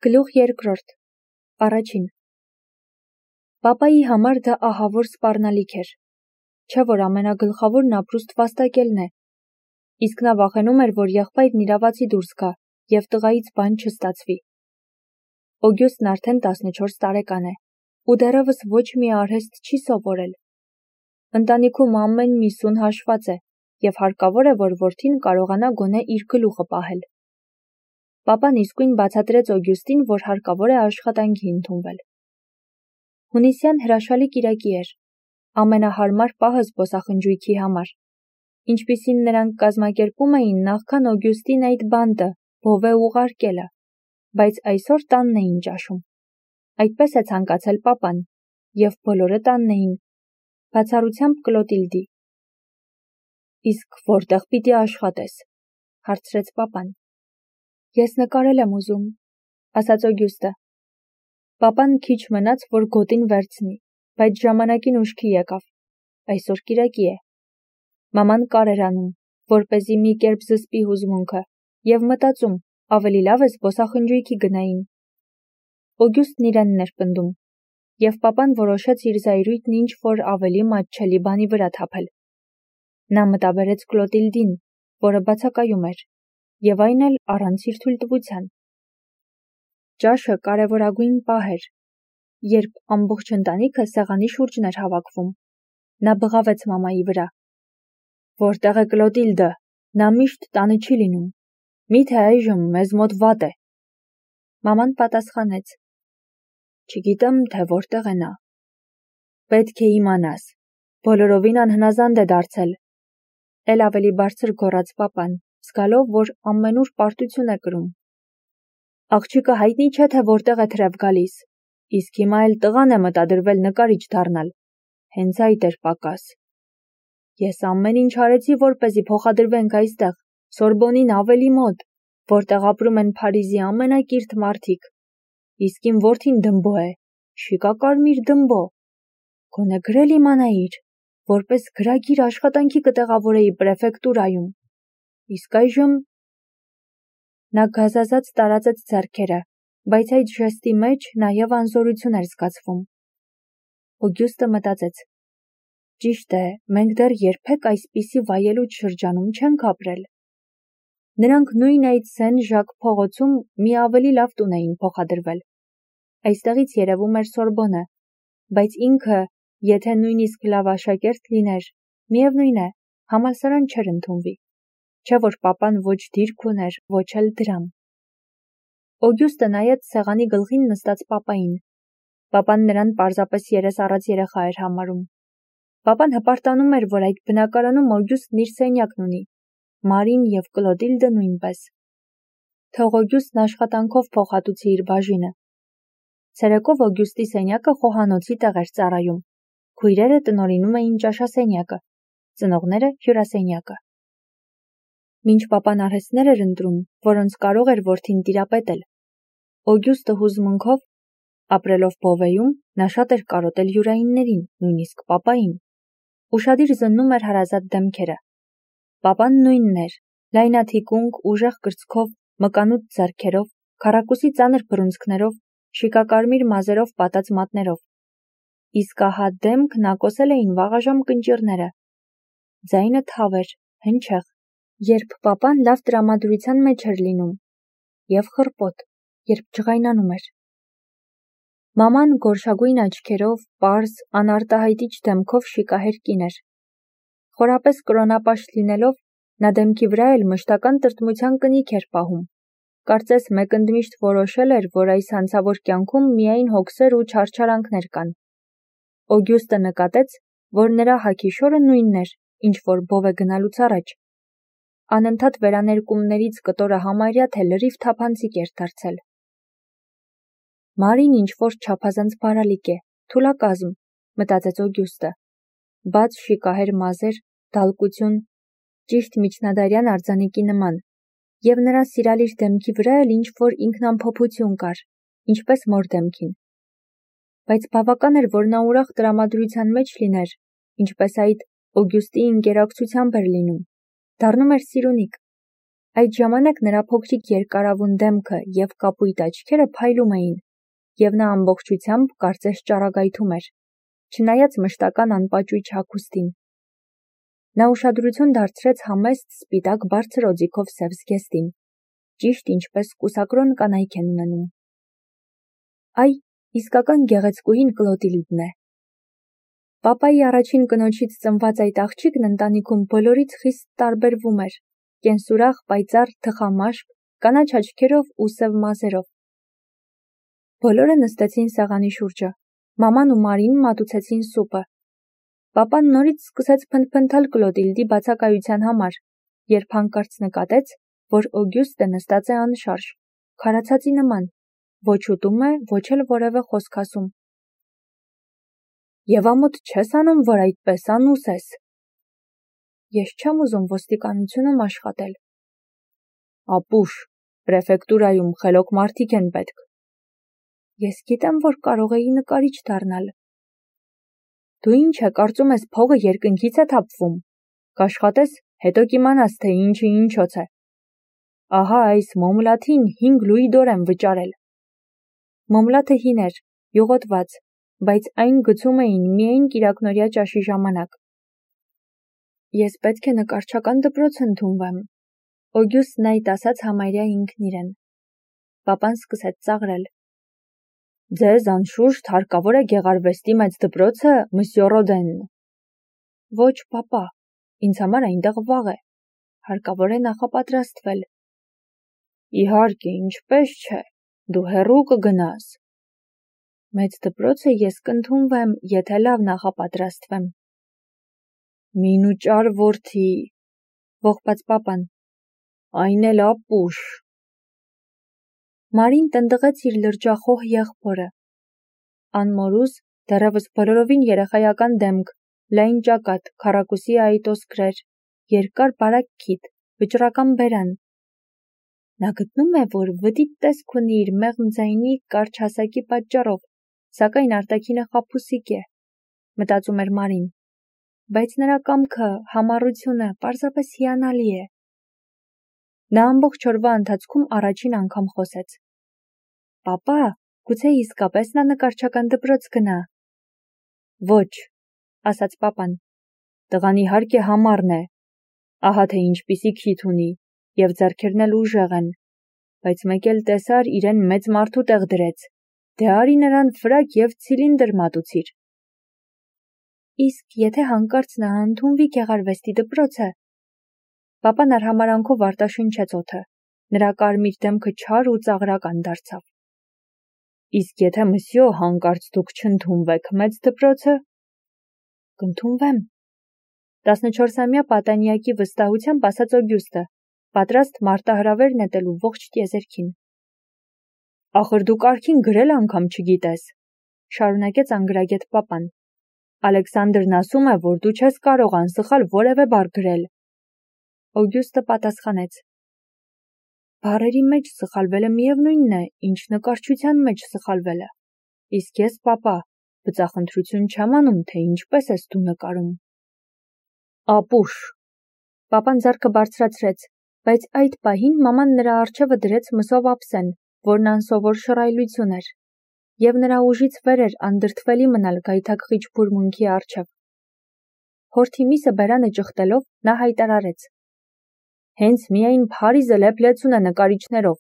Գլուխ երկրորդ, առաջին։ Պապայի համար դա ահավոր սպառնալիք էր, չէ որ ամենագլխավորն ապրուստ վաստակելն է, իսկ նա վախենում էր, որ եղբայրն իրավացի դուրս գա և տղայից բան չստացվի։ Օգյուստն արդեն 14 տարեկան է, ու դեռևս ոչ մի արհեստ չի սովորել։ Ընտանիքում ամեն մի սուն հաշված է, և հարկավոր է, որ որդին կարողանա գոնե իր գլուխը պահել։ Պապան իսկույն բացատրեց Օգյուստին, որ հարկավոր է աշխատանքի ընդունվել։ Հունիսյան հրաշալի կիրակի էր, ամենահարմար պահը զբոսախնջույքի համար, ինչպիսին նրանք կազմակերպում էին նախքան Օգյուստին այդ բանտը, բովե ուղարկելը, բայց այսօր տանն էին ճաշում։ Այդպես է ցանկացել պապան, և բոլորը տանն էին, բացառությամբ Կլոտիլդի։ Իսկ որտեղ պիտի աշխատես, հարցրեց պապան։ Ես նկարել եմ ուզում, ասաց Օգյուստը։ Պապան քիչ մնաց, որ գոտին վերցնի, բայց ժամանակին ուշքի եկավ, այսօր կիրակի է։ Մաման կար էր անում, որպեսզի մի կերպ զսպի հուզմունքը, և մտածում, ավելի լավ է զբոսախնջույքի գնային։ Օգյուստն իրենն էր պնդում, և պապան որոշեց իր զայրույթն ինչ-որ ավելի մատչելի բանի վրա թափել։ Նա մտաբերեց Կլոտիլդին, որը բացակայում էր, և այն էլ առանց իր թույլտվության։ Ճաշը կարևորագույն պահ էր, երբ ամբողջ ընտանիքը սեղանի շուրջն էր հավաքվում։ Նա բղավեց մամայի վրա։ Որտեղ է Կլոտիլդը, նա միշտ տանը չի լինում, միթե այժմ մեզ մոտ վատ է։ Մաման պատասխանեց. Չգիտեմ, թե որտեղ է նա։ Պետք է իմանաս, բոլորովին անհնազանդ է դարձել։ Էլ ավելի բարձր գոռաց պապան, զգալով, որ ամենուր պարտություն է կրում։ Աղջիկը հայտնի չէ, թե որտեղ է թրև գալիս, իսկ հիմա էլ տղան է մտադրվել նկարիչ դառնալ։ Հենց այդ էր պակաս։ Ես ամեն ինչ արեցի, որպեսզի փոխադրվենք այստեղ, Սորբոնին ավելի մոտ, որտեղ ապրում են Փարիզի ամենակիրթ մարդիկ։ Իսկ իմ որդին դմբո է, շիկակարմիր դմբո։ Գոնե գրել իմանայիր, որպես գրագիր աշխատանքի կտեղավորեի պրեֆեկտուրայում։ Իսկ այժմ… Նա գազազած տարածեց ձեռքերը, բայց այդ ժեստի մեջ նաև անզորություն էր զգացվում։ Օգյուստը մտածեց. Ճիշտ է, մենք դեռ երբեք այսպիսի վայելուչ շրջանում չենք ապրել։ Նրանք նույն այդ Սեն-Ժակ փողոցում մի ավելի լավ տուն էին փոխադրվել։ Այստեղից երևում էր Սորբոնը, բայց ինքը, եթե նույնիսկ լավ աշակերտ լիներ, միևնույն է, համալսարան չէր ընդունվի, չէ որ պապան ոչ դիրք ուներ, ոչ էլ դրամ։ Օգյուստը նայեց սեղանի գլխին նստած պապային։ Պապան նրան պարզապես երես առած երեխա էր համարում։ Պապան հպարտանում էր, որ այդ բնակարանում Օգյուստն իր սենյակն ունի, Մարին և Կլոտիլդը նույնպես։ Թող Օգյուստն աշխատանքով փոխհատուցի իր բաժինը։ Ցերեկով Օգյուստի սենյակը խոհանոցի տեղ էր ծառայում։ Քույրերը տնօրինում էին ճաշասենյակը, ծնողները հյուրասենյակը։ Մինչ պապան արհեստներ էր ընտրում, որոնց կարող էր որդին տիրապետել, Օգյուստը հուզմունքով, ապրելով Բովեյում, նա շատ էր կարոտել յուրայիններին, նույնիսկ պապային։ Ուշադիր զննում էր հարազատ դեմքերը։ Պապան նույնն էր, լայնաթիկունք, ուժեղ կրծքով, մկանուտ ձեռքերով, քառակուսի ծանր բռունցքներով, շիկակարմիր մազերով պատած մատներով։ Իսկ ահա դեմքն ակոսել էին վաղաժամ կնճիռները։ Ձայնը թավ էր, հնչեղ, երբ պապան լավ տրամադրության մեջ էր լինում, և խռպոտ, երբ ջղայնանում էր։ Մաման գորշագույն աչքերով, պարզ, անարտահայտիչ դեմքով շիկահեր կին էր։ Խորապես կրոնապաշտ լինելով, նա դեմքի վրա էլ մշտական տրտմության կնիք էր պահում։ Կարծես մեկ ընդմիշտ որոշել էր, որ այս հանցավոր կյանքում միայն հոգսեր ու չարչարանքներ կան։ Օգյուստը նկատեց, որ նրա հագի շորը նույնն էր, ինչ որ Բովե գնալուց առաջ։ Անընդհատ վերաներկումներից կտորը համարյա թե լրիվ թափանցիկ էր դարձել։ Մարին ինչ-որ չափազանց բարալիկ է, թուլակազմ, մտածեց Օգյուստը։ Բաց շիկահեր մազեր, դալկություն, ճիշտ միջնադարյան արձանիկի նման, և նրա սիրալիր դեմքի վրա էլ ինչ-որ ինքնամփոփություն կար, ինչպես մոր դեմքին։ Բայց բավական էր, որ նա ուրախ տրամադրության մեջ լիներ, ինչպես այդ Օգյուստի ընկերակցությամբ էր լինում, դառնում էր սիրունիկ։ Այդ ժամանակ նրա փոքրիկ երկարավուն դեմքը և կապույտ աչքերը փայլում էին, և նա ամբողջությամբ կարծես ճառագայթում էր, չնայած մշտական անպաճույճ հագուստին։ Նա ուշադրություն դարձրեց համեստ սպիտակ բարձր օձիքով սև զգեստին, ճիշտ ինչպես կուսակրոն կանայք են ունենում։ Այ, իսկական գեղեցկուհին Կլոտիլդն է։ Պապայի առաջին կնոջից ծնված այդ աղջիկն ընտանիքում բոլորից խիստ տարբերվում էր, կենսուրախ, պայծառ, թխամաշկ, կանաչ աչքերով ու սև մազերով։ Բոլորը նստեցին սեղանի շուրջը, մաման ու Մարին մատուցեցին սուպը։ Պապան նորից սկսեց փնթփնթալ Կլոտիլդի բացակայության համար, երբ հանկարծ նկատեց, որ Օգյուստը նստած է անշարժ, քարացածի նման, ոչ ուտում է, ոչ էլ որևէ խոսք ասում։ Եվ ամոթ չես անում, որ այդպես անուս ես։ Ես չեմ ուզում ոստիկանությունում աշխատել։ Ապուշ, պրեֆեկտուրայում խելոք մարդիկ են պետք։ Ես գիտեմ, որ կարող էի նկարիչ դառնալ։ Դու ինչ է, կարծում ես փողը երկնքից է թափվում։ Կաշխատես, հետո կիմանաս, թե ինչը ինչոց է։ Ահա այս մոմլաթին 5 լուիդոր եմ վճարել։ Մոմլաթը հին էր, յուղոտված, բայց այն գցում էին միայն կիրակնօրյա ճաշի ժամանակ։ Ես պետք է նկարչական դպրոց ընդունվեմ։ Օգյուստն այդ ասաց համարյա ինքն իրեն։ Պապան սկսեց ծաղրել։ Ձեզ անշուշտ հարկավոր է գեղարվեստի մեծ դպրոցը, մսյո Ռոդեն։ Ոչ, պապա, ինձ համար այնտեղ վաղ է։ Հարկավոր է նախապատրաստվել։ Իհարկե, ինչպես չէ, դու հեռու կգնաս։ Մեծ դպրոցը ես կընդունվեմ, եթե լավ նախապատրաստվեմ։ Մինուճար որդի, ողբաց պապան, այն էլ ապուշ։ Մարին տնտղեց իր լրջախոհ եղբորը։ Անմորուզ, դեռևս բոլորովին երեխայական դեմք, լայն ճակատ, քառակուսի այտոս գրեր, երկար բարակ քիթ, վճռական բերան։ Նա գտնում է, որ վտիտ տեսք ունի իր մեղմ ձայնի կարճ հասակի պատճառով, սակայն արտաքինը խաբուսիկ է, մտածում էր Մարին, բայց նրա կամքը, համառությունը պարզապես հիանալի է։ Նա ամբողջ օրվա ընթացքում առաջին անգամ խոսեց։ Պապա, գուցե իսկապես նա նկարչական դպրոց գնա։ Ոչ, ասաց պապան, տղան իհարկե համառն է, ահա թե ինչպիսի քիթ ունի, և ձեռքերն էլ ուժեղ են, բայց մեկ էլ տեսար իրեն մեծ մարդու տեղ դրեց, դե արի նրան ֆրակ և ցիլինդր մատուցիր։ Իսկ եթե հանկարծ նա ընդունվի գեղարվեստի դպրոցը։ Պապան արհամարանքով արտաշնչեց օդը, նրա կարմիր դեմքը չար ու ծաղրական դարձավ։ Իսկ եթե մսյո հանկարծ դուք չընդունվեք մեծ դպրոցը։ Կընդունվեմ։ 14-ամյա պատանյակի վստահությամբ ասաց Օգյուստը, պատրաստ մարտահրավեր նետելու ողջ տիեզերքին։ Ախր դու կարգին գրել անգամ չգիտես, շարունակեց անգրագետ պապան։ Ալեքսանդրն ասում է, որ դու չես կարող անսխալ որևէ բառ գրել։ Օգյուստը պատասխանեց. Բառերի մեջ սխալվելը միևնույնն է, ինչ նկարչության մեջ սխալվելը։ Իսկ ես, պապա, բծախնդրություն չեմ անում, թե ինչպես ես դու նկարում։ Ապուշ։ Պապան ձեռքը բարձրացրեց, բայց այդ պահին մաման նրա առջևը դրեց մսով ափսեն, որն անսովոր շռայլություն էր, և նրա ուժից վեր էր անդրդվելի մնալ գայթակղիչ բուրմունքի առջև։ Հորթի միսը բերանը ճխտելով, նա հայտարարեց. Հենց միայն Փարիզը լեփլեցուն է նկարիչներով,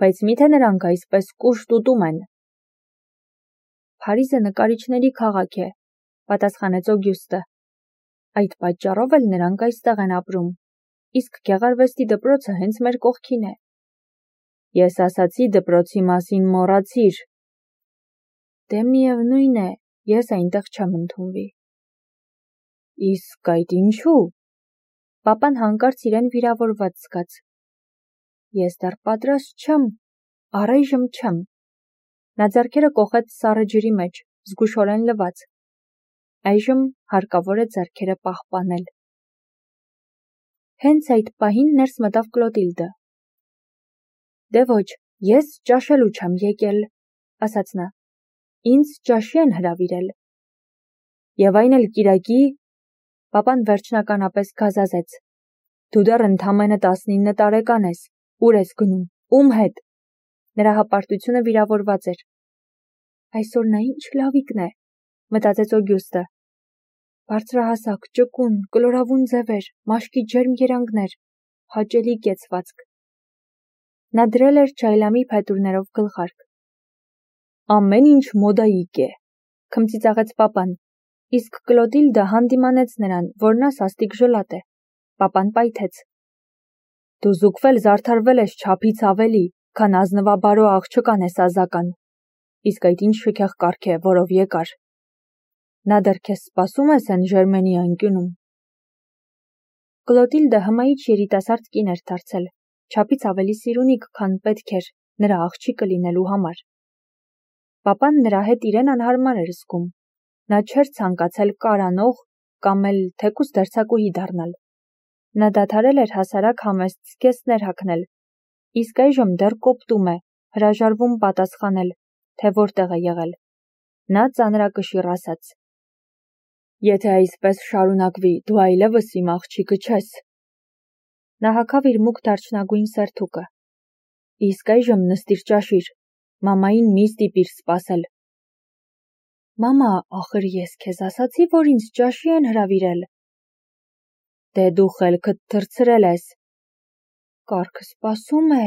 բայց միթե նրանք այսպես կուշտ ուտում են։ Փարիզը նկարիչների քաղաք է, պատասխանեց Օգյուստը։ Այդ պատճառով էլ նրանք այստեղ են ապրում, իսկ գեղարվեստի դպրոցը հենց մեր կողքին է։ Ես ասացի դպրոցի մասին մոռացիր։ Դե միևնույն է, ես այնտեղ չեմ ընդունվի։ Իսկ այդ ինչու։ Պապան հանկարծ իրեն վիրավորված զգաց։ Ես դեռ պատրաստ չեմ, առայժմ չեմ։ Նա ձեռքերը կոխեց սառը ջրի մեջ, զգուշորեն լված։ Այժմ հարկավոր է ձեռքերը պահպանել։ Հենց այդ պահին ներս մտավ Կլոտիլդը։ Դե ոչ, ես ճաշելու չեմ եկել, ասաց նա։ Ինձ ճաշի են հրավիրել։ Եվ այն էլ կիրակի, պապան վերջնականապես գազազեց։ Դու դեռ ընդամենը 19 տարեկան ես, ուր ես գնում, ում հետ։ Նրա հպարտությունը վիրավորված էր։ Այսօր նա ինչ լավիկն է, մտածեց Օգյուստը։ Բարձրահասակ, ճկուն, կլորավուն ձևեր, մաշկի ջերմ երանգներ, հաճելի կեցվածք։ Նա դրել էր ջայլամի փետուրներով գլխարկ։ Ամեն ինչ մոդայիկ է, քմծիծաղեց պապան, իսկ Կլոդիլդը հանդիմանեց նրան, որ նա սաստիկ ժլատ է։ Պապան պայթեց. Դու զուգվել զարդարվել ես չափից ավելի, քան ազնվաբարո աղջկան ես ազական, իսկ այդ ինչ շքեղ կարգ է, որով եկար։ Նա դեռ քեզ սպասում է Սեն Ժերմենի անկյունում։ Կլոդիլդը հմայիչ երիտասարդ կին էր դարձել, չափից ավելի սիրունիկ, քան պետք էր նրա աղջիկը լինելու համար։ Պապան նրա հետ իրեն անհարմար էր զգում։ Նա չէր ցանկացել կարանող կամ էլ թեկուզ դերձակուհի դառնալ։ Նա դադարել էր հասարակ համեստ զգեստներ հագնել, իսկ այժմ դեռ կոպտում է, հրաժարվում պատասխանել, թե որտեղ է եղել։ Նա ծանրակշիռ ասաց. Եթե այսպես շարունակվի, դու այլևս իմ աղջիկը չես։ Նա հագավ իր մուգ դարչնագույն սերթուկը։ Իսկ այժմ նստիր ճաշիր, մամային մի ստիպիր սպասել։ Մամա, ախր ես քեզ ասացի, որ ինձ ճաշի են հրավիրել։ Դե դու խելքդ թռցրել ես։ Կառքը սպասում է։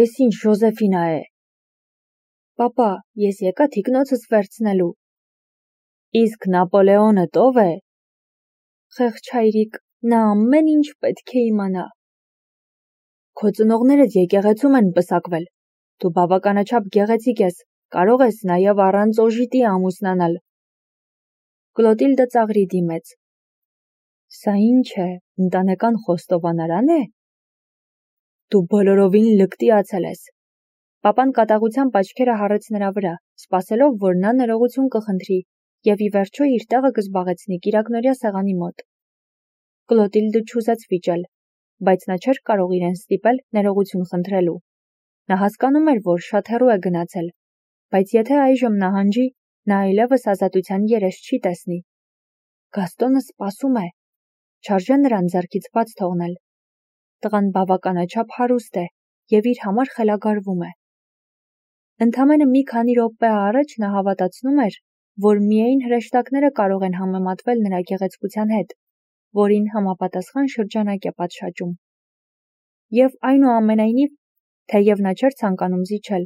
Էս ինչ Ժոզեֆինա է։ Պապա, ես եկա թիկնոցս վերցնելու։ Իսկ Նապոլեոնը տով է։ Խեղճ հայրիկ, նա ամեն ինչ պետք է իմանա։ Քո ծնողներդ եկեղեցում են պսակվել։ Դու բավականաչափ գեղեցիկ ես, կարող ես նաև առանց օժիտի ամուսնանալ։ Կլոդիլդը ծաղրի դիմեց։ Սա ինչ է, ընտանեկան խոստովանարան է։ Դու բոլորովին լկտիացել ես։ Պապան կատաղությամբ աչքերը հառեց նրա վրա, սպասելով, որ նա ներողություն կխնդրի և ի վերջո իր տեղը կզբաղեցնի կիրակնօրյա սեղանի մոտ։ Կլոդիլդը չուզեց վիճել, բայց նա չէր կարող իրեն ստիպել ներողություն խնդրելու։ Նա հասկանում էր, որ շատ հեռու է գնացել, բայց եթե այժմ նահանջի, նա այլևս ազատության երես չի տեսնի։ Գաստոնը սպասում է, չարժե նրան ձեռքից բաց թողնել։ Տղան բավականաչափ հարուստ է և իր համար խելագարվում է։ Ընդամենը մի քանի րոպե առաջ նա հավատացնում էր, որ միայն հրեշտակները կարող են համեմատվել նրա գեղեցկության հետ, որին համապատասխան շրջանակ է պատշաճում։ Եվ այնուամենայնիվ, թեև նա չէր ցանկանում զիջել,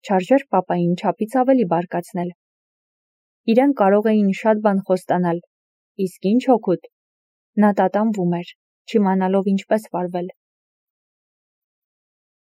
չարժեր պապային չափից ավելի բարկացնել։ Իրեն կարող էին շատ բան խոստանալ, իսկ ինչ օգուտ։ Նա տատանվում էր, չիմանալով ինչպես վարվել։